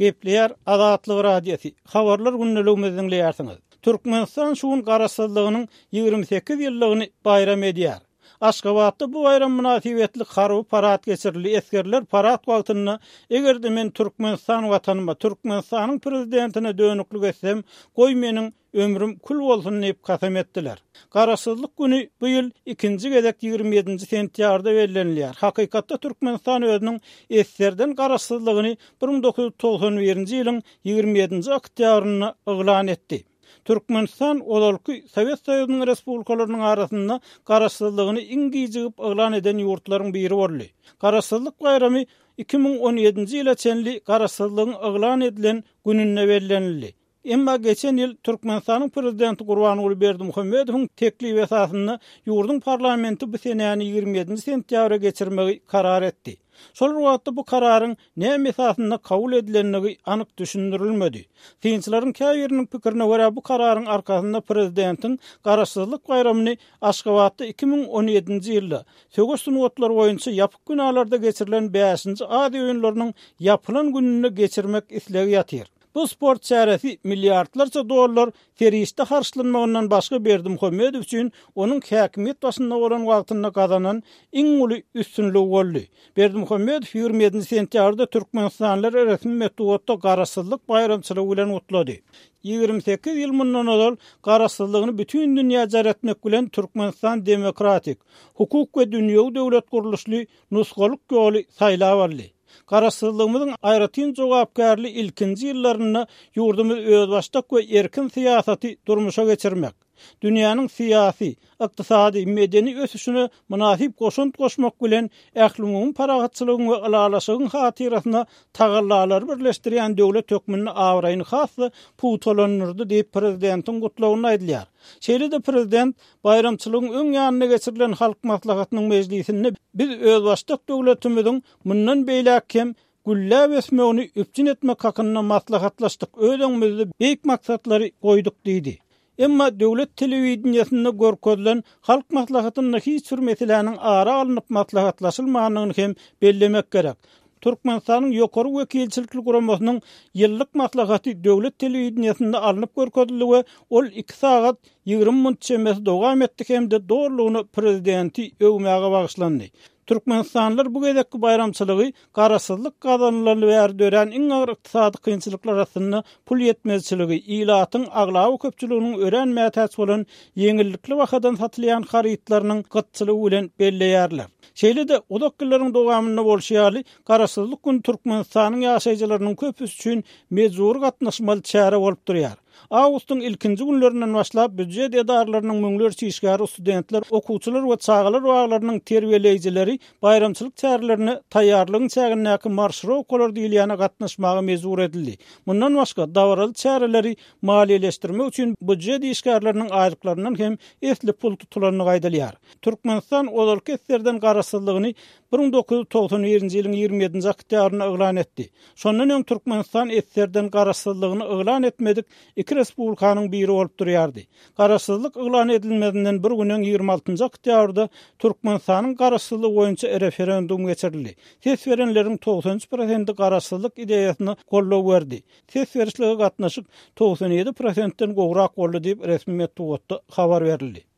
Gepleýär Azatlyk Radiosy, Habarlar gündeligimizi diňleýärsiňiz. Türkmenistan şu gün Garaşsyzlygynyň 28 ýyllygyny baýram edýär. Aşgabatda bu baýram mynasybetli harby parad geçirildi. Esgerler parad wagtynda Eger-de men Türkmenistan Watanyma, Türkmenistanyň Prezidentine dönüklik etsem, goý meniň Ömrüm kül bolsun diýip kasam etdiler. Garaşsyzlyk güni bu ýyl ikinji gezek 27-nji sentýabrda bellenilýär. Hakykatda Türkmenistan özüniň esgerden garaşsyzlygyny 1991-nji ýylyň 27-nji oktýabrynda yglan etdi. Türkmenistan ozalky Sowet Soýuzynyň respublikalarynyň arasynda garaşsyzlygyny iň gijigip yglan eden ýurtlaryň biri boldy. Garaşsyzlyk baýramy 2017-nji ýyla çenli garaşsyzlygyň yglan edilen gününde bellenildi. Emma geçen ýyl Türkmenistanyň Prezidenti Gurbanguly Berdimuhamedowyň teklibi esasynda ýurduň parlamenti bu senäni 27-nji sentýabra geçirmegi karar etdi. Şol bir wagtda bu kararyň näme esasynda kabul edilendigi anyk düşündirilmedi. Synçylaryň käbiriniň pikirine görä bu kararyň arkasynda prezidentiň Garaşsyzlyk baýramyny Aşgabatda 2017-nji ýylda söweş sungatlary boýunça ýapyk binalarda geçirilen bäşinji Aziýa oýunlarynyň ýapylan gününde geçirmek islegi ýatyr. Bu sport çäresi milliardlarça dollar serişde harçlanmagyndan başga Berdimuhamedow üçin onuň häkimiýet başynda bolan wagtynda gazanan iň uly üstünligi boldy. Berdimuhamedow 27-nji sentýabrda türkmenistanlylary resmi metbugatda Garaşsyzlyk baýramçylygy bilen gutlady. 28 ýyl mundan ozal Garaşsyzlygyny bütin dünýä jar etmek bilen Türkmenistan demokratik, hukuk we dünýewi döwlet gurluşly nusgalyk ýoly saýlap aldy. Garaşsyzlygymyzyň aýratyn jogapkärli ilkinji ýyllarynda ýurdumyz özbaşdak we erkin syýasaty durmuşa geçirmek, dünýäniň syýasy, ykdysady, medeni ösüşine mynasyp goşant goşmak bilen, ählumumy parahatçylygyň we ylalaşygyň hatyrasyna tagallalary birleşdirýän döwlet hökmünde abraýyny has-da pugtalandyrdy diýip, prezidentiň gutlagynda aýdylýar. Şeýle-de prezident Baýramçylygyň öň ýanynda geçirilen Halk Maslahatynyň mejlisinde biz özbaşdak döwletimiziň mundan beýläk hem gülläp ösmegini üpjün etmek hakynda maslahatlaşdyk, öz öňümizde beýik maksatlary goýduk diýdi. Emma döwlet telewideniýesinde görkezilen Halk Maslahatynda hiç bir meseläniň ara alnyp maslahatlaşylmandygyny hem bellemek gerek. Türkmenistanyň Ýokary wekilçilikli guramasynyň ýyllyk maslahaty döwlet telewideniýesinde alnyp görkezildi we ol iki sagat 20 munt çemesi dowam etdi hem-de dolulygyna prezidenti öwmäge bagyşlandy. Türkmenistanlylar bu gezekki baýramçylygy garaşsyzlyk gazanylaly bäri dörän iň agyr ykdysady kynçylyklar astynda pul ýetmezçiligi, ilatyň aglaba köpçüliginiň örän mätäç bolan ýeňillikli bahadan satylýan harytlarynyň gytçylygy bilen belleýärler. Şeýle-de, uzak ýyllaryň dowamynda bolşy ýaly, Garaşsyzlyk güni Türkmenistanyň ýaşaýjylarynyň köpüsi üçin mejbury gatnaşmaly çäre bolup durýar. Awgustyň ilkinji günlerinden başlap býujet edaralarynyň müňlerçe işgäri, studentler, okuwçylar we çagalar baglarynyň terbiýeleýjileri baýramçylyk çärelerine taýýarlygyň çägindäki marşirowkalar diýilýäne gatnaşmaga mejbur edildi. Mundan başga, dabaraly çäreleri maliýeleşdirmek üçin býujet işgärleriniň aýlyklaryndan hem esli pul tutulandygy aýdylýar. Türkmenistan ozalky SSR-den garaşsyzlygyny 1991-nji ýylyň 27-nji oktýabrynda yglan etdi. Şondan öň Türkmenistan SSR-den garaşsyzlygyny yglan etmedik iki respublikanyň biri bolup durýardy. Garaşsyzlyk yglan edilmezinden bir gün öň 26-njy oktýabrda Türkmenistanyň garaşsyzlygy boýunça referendum geçirildi. Ses berenleriň 93 prosenti garaşsyzlyk ideýasyna goldaw berdi. Ses berişlige gatnaşyk 97 prosentden gowrak boldy diýip, resmi metbugatda habar berildi.